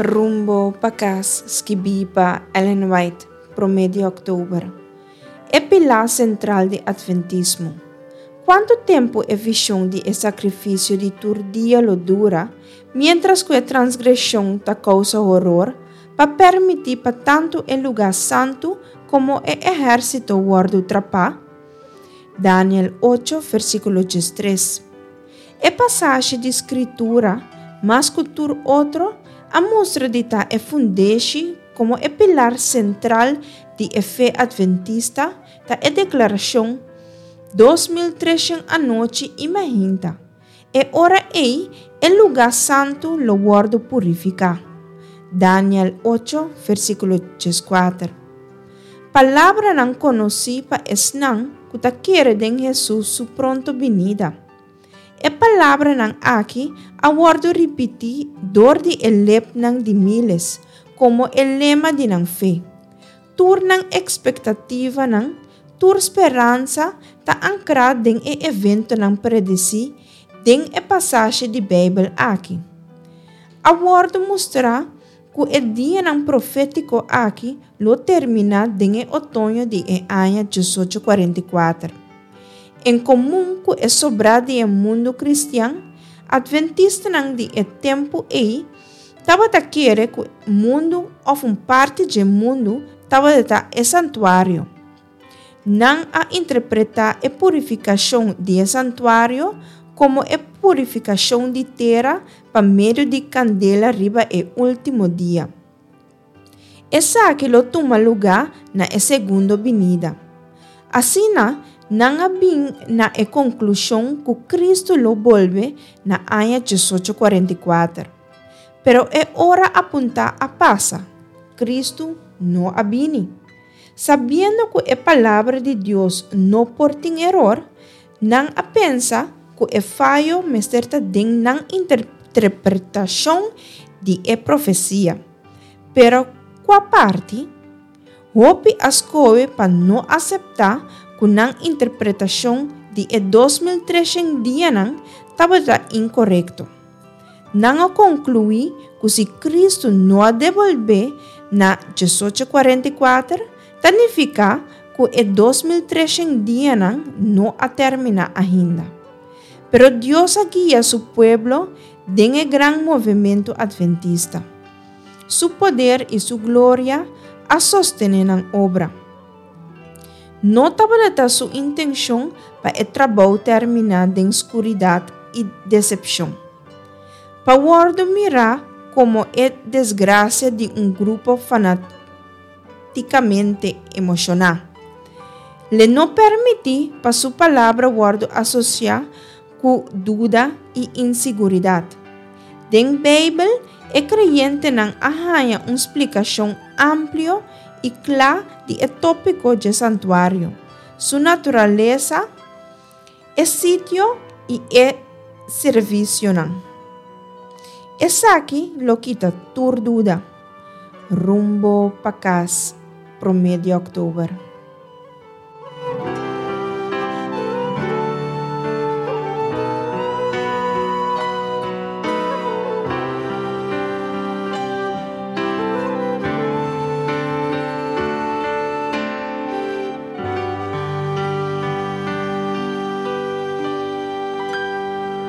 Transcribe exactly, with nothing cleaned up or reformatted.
Rumbo pa Kas, skibí pa Ellen White, promé di òktober. E pilá sentral di Atventismo. Kuantu tempu e vishon di e sakrifisio di tur dia lo dura, miéntras ku e transgreshon ta kousa horor, pa permití pa tantu e lugá santu komo e ehérsito wòrdu trapá? Daniel ocho, versíkulo diestres. E pasashi di Skritura, mas ku tur otro, a mustra di ta e fundeshi komo e pilar sentral di e fe atventista ta e deklarashon, Dos mil treshen anochi i mainta, e ora ei e lugá santu lo wòrdu purifiká. Daniel ocho, versíkulo dieskuater. Palabranan konosí pa esnan ku ta kere den Hesus su pronto binida. E palabranan aki a wòrdu ripití dor di e lepnan di míles komo e lema di nan fe. Tur nan ekspektativanan, tur speransa ta ankrá den e eventonan predesí den e pasashi di Beibel aki. A wòrdu mustrá ku e dianan profétiko aki lo terminá den e otoño di e aña diesocho kuarenta i kuater. En komun ku e sobrá di e mundu kristian, atventistanan di e tempu ei tabata kere ku mundu òf un parti dje mundu tabata e santuario. Nan a interpretá e purifikashon di e santuario komo e purifikashon di tera pa medio di kandela riba e último dia. Esaki lo tuma lugá na e segundo binida. Asina, nan a bin na e konklushon ku Kristu lo bolbe na aña diesocho kuarenta i kuater. Pero e ora apuntá a pasa, Kristu no a bini. Sabiendo ku e Palabra di Dios no por tin eror, nan a pensa ku e fayo mester ta den nan interpretashon di e profesia. Pero kua parti? Hopi a skohe pa no aseptá ku nan interpretashon di e dos mil treshen dianan tabata inkorekto. Nan a konkluí ku si Kristu no a debolbé na diesocho kuarenta i kuater, ta nifiká ku e dos mil treshen dianan no a terminá ainda. Pero Dios a guia su pueblo den e gran movementu atventista. Su poder i su gloria a sostené nan obra. No tabata su intenshon pa e trabou terminá den skuridat i desepshon. Pa wòrdu mirá komo e desgrasia di un grupo fanatikamente emoshoná. L'e no permití pa su palabra wòrdu asosiá ku duda i insiguridat. Den Beibel, e kreyentenan a haña un splikashon amplio i kla di e tópiko dje santuario, su naturalesa, e sitio i e servisionan. Esaki lo kita tur duda. Rumbo pa Kas, promé di òktober.